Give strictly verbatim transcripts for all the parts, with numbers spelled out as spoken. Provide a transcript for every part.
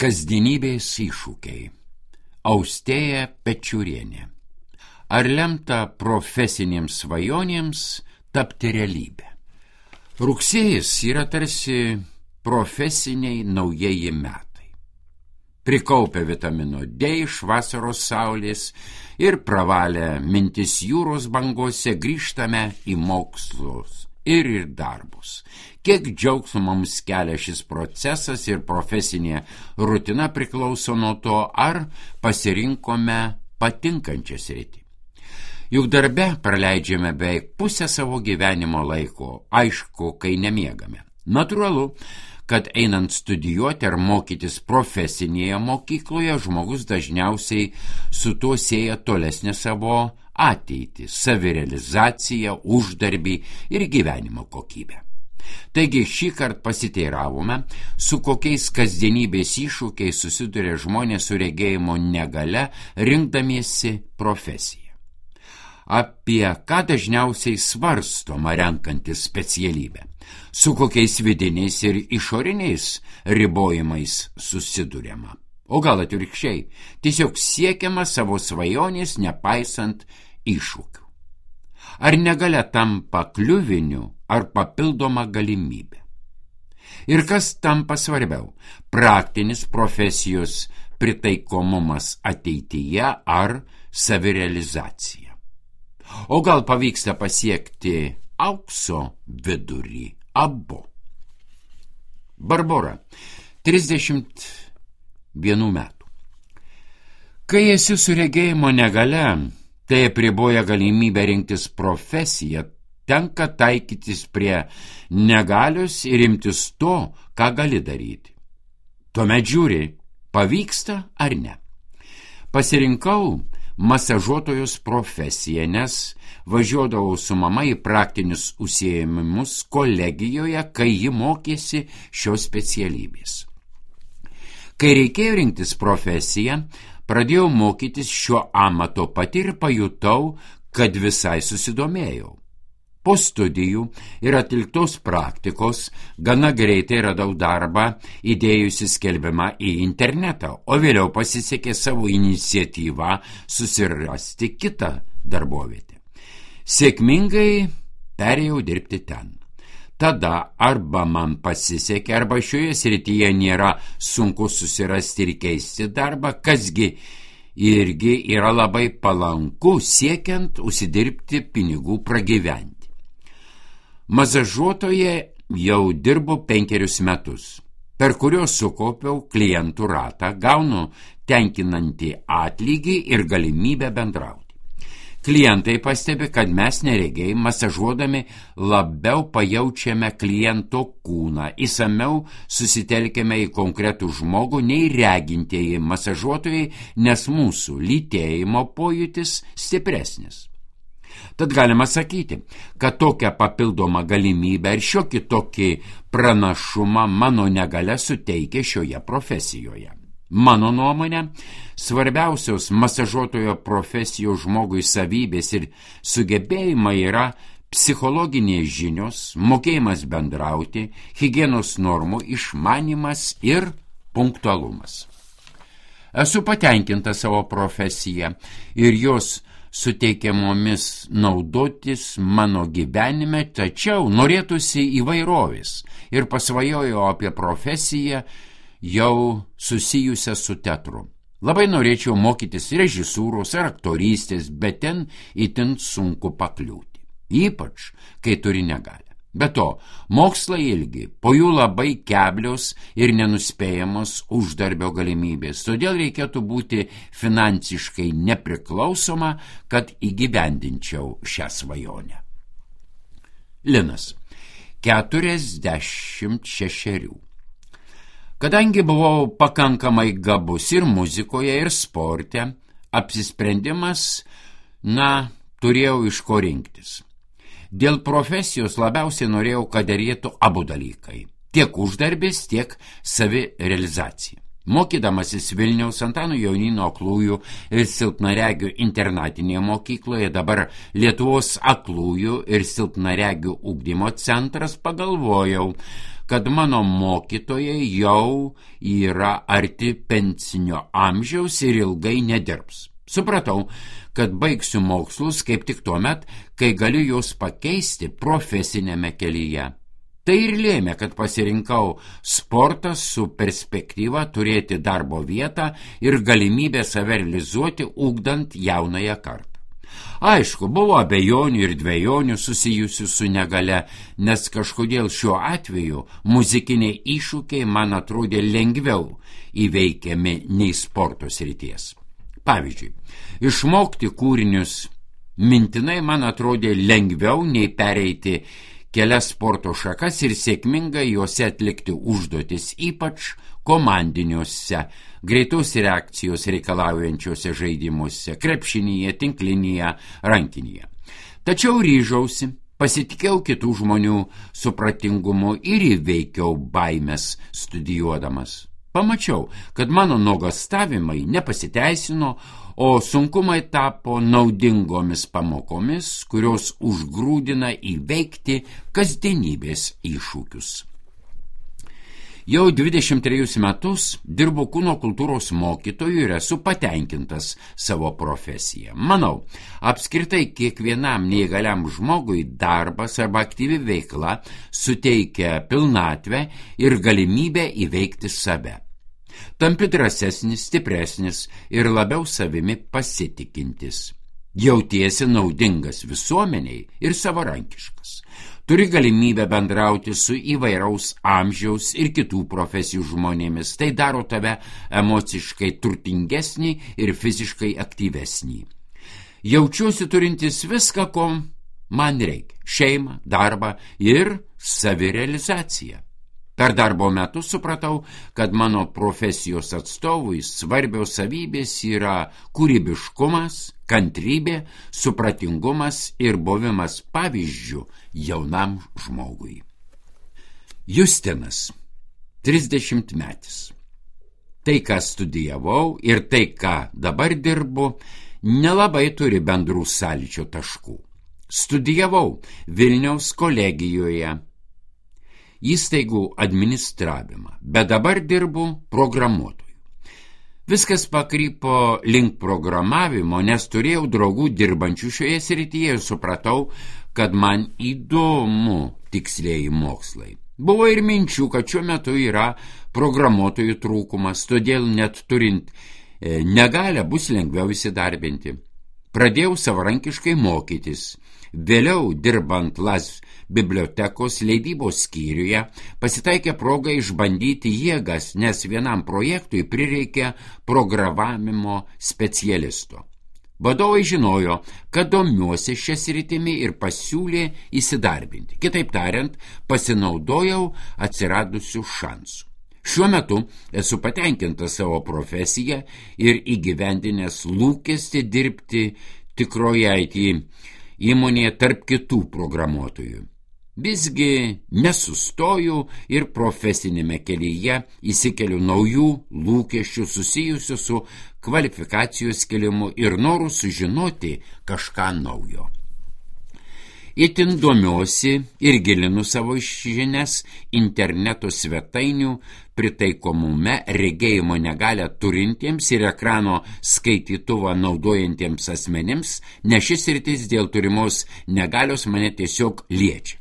Kasdienybės iššūkiai. Austėja Pečiurienė. Ar lemta profesinėms svajonėms tapti realybę? Rugsėjis yra tarsi profesiniai naujieji metai. Prikaupę vitamino D iš vasaros saulės ir pravalę mintis jūros bangose grįžtame į mokslus ir į darbus. Kiek džiaugsmo mums kelia šis procesas ir profesinė rutina priklauso nuo to, ar pasirinkome patinkančią sritį. Juk darbe praleidžiame beveik pusę savo gyvenimo laiko, aišku, kai nemiegame. Natūralu, kad einant studijuoti ar mokytis profesinėje mokykloje, žmogus dažniausiai su tuo sieja tolesnę savo ateitį, savirealizaciją, uždarbį ir gyvenimo kokybę. Taigi šį kartą pasiteiravome, su kokiais kasdienybės iššūkiais susiduria žmonės su regėjimo negalia, rinkdamiesi profesiją. Apie ką dažniausiai svarstoma renkantis specialybę, su kokiais vidiniais ir išoriniais ribojimais susiduriama. O gal atvirkščiai, tiesiog siekiama savo svajonės nepaisant iššūkių. Ar negalia tampa kliuviniu, ar papildoma galimybė? Ir kas tampa svarbiau, praktinis profesijos pritaikomumas ateityje ar savirealizacija? O gal pavyksta pasiekti aukso vidurį, abu? Barbora, trisdešimt vienų metų. Kai esi su regėjimo negalia, tai apriboja galimybę rinktis profesiją, tenka taikytis prie negalios ir imtis to, ką gali daryti. Tuomet žiūri, pavyksta ar ne. Pasirinkau masažuotojos profesiją, nes važiuodavau su mama į praktinius užsiėmimus kolegijoje, kai ji mokėsi šios specialybės. Kai reikėjo rinktis profesiją, pradėjau mokytis šio amato pati ir pajutau, kad visai susidomėjau. Po studijų ir atliktos praktikos gana greitai radau darbą įdėjusi skelbimą į internetą, o vėliau pasisekė savo iniciatyvą susirasti kitą darbovietę. Sėkmingai perėjau dirbti ten. Tada arba man pasisekė, arba šioje srityje nėra sunku susirasti ir keisti darbą, kasgi irgi yra labai palanku siekiant užsidirbti pinigų pragyventi. Masažuotoje jau dirbu penkerius metus, per kuriuos sukaupiau klientų ratą, gaunu tenkinantį atlygį ir galimybę bendrauti. Klientai pastebi, kad mes neregiai masažuodami labiau pajaučiame kliento kūną, įsamiau susitelkėme į konkretų žmogų nei regintieji masažuotojai, nes mūsų lytėjimo pojūtis stipresnis. Tad galima sakyti, kad tokią papildomą galimybę ir šiokį tokį pranašumą mano negalia suteikia šioje profesijoje. Mano nuomonė, svarbiausios masažuotojo profesijos žmogui savybės ir sugebėjimai yra psichologinės žinios, mokėjimas bendrauti, higienos normų išmanymas ir punktualumas. Esu patenkinta savo profesiją ir jos suteikiamomis naudotis mano gyvenime, tačiau norėtųsi įvairovės ir pasvajojau apie profesiją jau susijusią su teatru. Labai norėčiau mokytis režisūros ar aktorystės, bet ten itin sunku pakliūti, ypač kai turi negalią. Be to, mokslai ilgi, po jų labai keblios ir nenuspėjamos uždarbio galimybės, todėl reikėtų būti finansiškai nepriklausoma, kad įgyvendinčiau šią svajonę. Linas, keturiasdešimt šešerių. Kadangi buvau pakankamai gabus ir muzikoje, ir sporte, apsisprendimas, na, turėjau iš ko rinktis. Dėl profesijos labiausiai norėjau, kad derėtų abu dalykai – tiek uždarbis, tiek savirealizacija. Mokydamasis Vilniaus Antano Jonyno aklųjų ir silpnaregių internatinėje mokykloje, dabar Lietuvos aklųjų ir silpnaregių ugdymo centras, pagalvojau, kad mano mokytojai jau yra arti pensinio amžiaus ir ilgai nedirbs. Supratau, kad baigsiu mokslus kaip tik tuomet, kai galiu juos pakeisti profesinėme kelyje. Tai ir lėmė, kad pasirinkau sportą su perspektyva turėti darbo vietą ir galimybę save realizuoti, ugdant jaunąją kartą. Aišku, buvo abejonių ir dvejonių susijusių su negale, nes kažkodėl šiuo atveju muzikiniai iššūkiai man atrodė lengviau įveikiami nei sporto srities. Pavyzdžiui, išmokti kūrinius mintinai man atrodė lengviau nei pereiti kelias sporto šakas ir sėkmingai juose atlikti užduotis, ypač komandiniuose, greitos reakcijos reikalaujančiuose žaidimuose, krepšinyje, tinklinėje, rankinėje. Tačiau ryžausi, pasitikėjau kitų žmonių supratingumu ir įveikiau baimes studijuodamas. Pamačiau, kad mano nuogąstavimai nepasiteisino, o sunkumai tapo naudingomis pamokomis, kurios užgrūdina įveikti kasdienybės iššūkius. Jau dvidešimt trejus metus dirbu kūno kultūros mokytoju ir esu patenkintas savo profesiją. Manau, apskritai kiekvienam neįgaliam žmogui darbas arba aktyvi veikla suteikia pilnatvę ir galimybę įveikti save. Tampi drąsesnis, stipresnis ir labiau savimi pasitikintis. Jautiesi naudingas visuomeniai ir savarankiškas. Turi galimybę bendrauti su įvairaus amžiaus ir kitų profesijų žmonėmis. Tai daro tave emociškai turtingesnį ir fiziškai aktyvesnį. Jaučiuosi turintis viską, ko man reikia. Šeimą, darbą ir savirealizaciją. Per darbo metus supratau, kad mano profesijos atstovui svarbios savybės yra kūrybiškumas, kantrybė, supratingumas ir buvimas pavyzdžių jaunam žmogui. Justinas, trisdešimtmetis. Tai, ką studijavau ir tai, ką dabar dirbu, nelabai turi bendrų sąlyčio taškų. Studijavau Vilniaus kolegijoje įstaigų administravimą, bet dabar dirbu programuotoju. Viskas pakrypo link programavimo, nes turėjau draugų dirbančių šioje srityje ir supratau, kad man įdomu tikslieji mokslai. Buvo ir minčių, kad šiuo metu yra programuotojų trūkumas, todėl net turint e, negalią bus lengviau įsidarbinti. Pradėjau savarankiškai mokytis. Vėliau, dirbant Las bibliotekos leidybos skyriuje, pasitaikė proga išbandyti jėgas, nes vienam projektui prireikė programavimo specialisto. Vadovai žinojo, kad domiuosi šią sritimi ir pasiūlė įsidarbinti. Kitaip tariant, pasinaudojau atsiradusių šansų. Šiuo metu esu patenkintas savo profesiją ir įgyvendinęs lūkestį dirbti tikroje I T įmonėje tarp kitų programuotojų. Visgi nesustoju ir profesinėme kelyje įsikeliu naujų lūkesčių susijusių su kvalifikacijos kėlimu ir noru sužinoti kažką naujo. Itin domiuosi ir gilinu savo žinias interneto svetainių pritaikomume regėjimo negalią turintiems ir ekrano skaitytuvą naudojantiems asmenims, nes šis sritis dėl turimos negalios mane tiesiog liečia.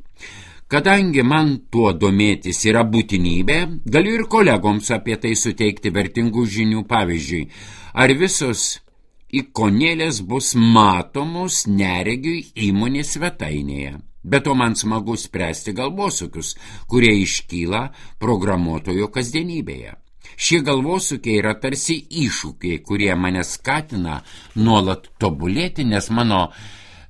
Kadangi man tuo domėtis yra būtinybė, galiu ir kolegoms apie tai suteikti vertingų žinių. Pavyzdžiui, ar visos ikonėlės bus matomos neregiui įmonės svetainėje. Be to man smagu spręsti galvosūkius, kurie iškyla programuotojo kasdienybėje. Šie galvosūkiai yra tarsi iššūkiai, kurie mane skatina nuolat tobulėti, nes mano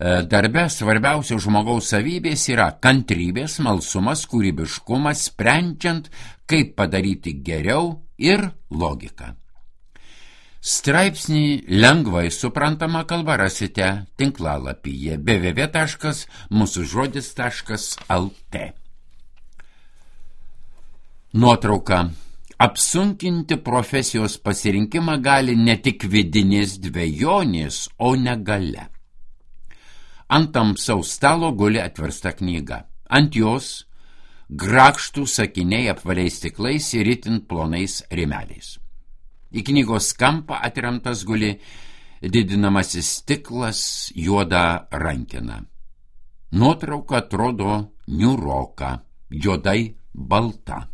darbe svarbiausios žmogaus savybės yra kantrybė, smalsumas, kūrybiškumas, sprendžiant, kaip padaryti geriau ir logika. Straipsnį lengvai suprantama kalba rasite tinklalapyje w w w taškas mūsų žodis taškas l t. Nuotrauka. Apsunkinti profesijos pasirinkimą gali ne tik vidinės dvejonės, o negalia. Ant tamsaus stalo guli atversta knyga. Ant jos grakštų sakiniai apvaliais stiklais ir itin plonais rėmeliais. Į knygos kampą atremtas guli didinamasis stiklas juoda rankena. Nuotrauka atrodo niūroka, juodai balta.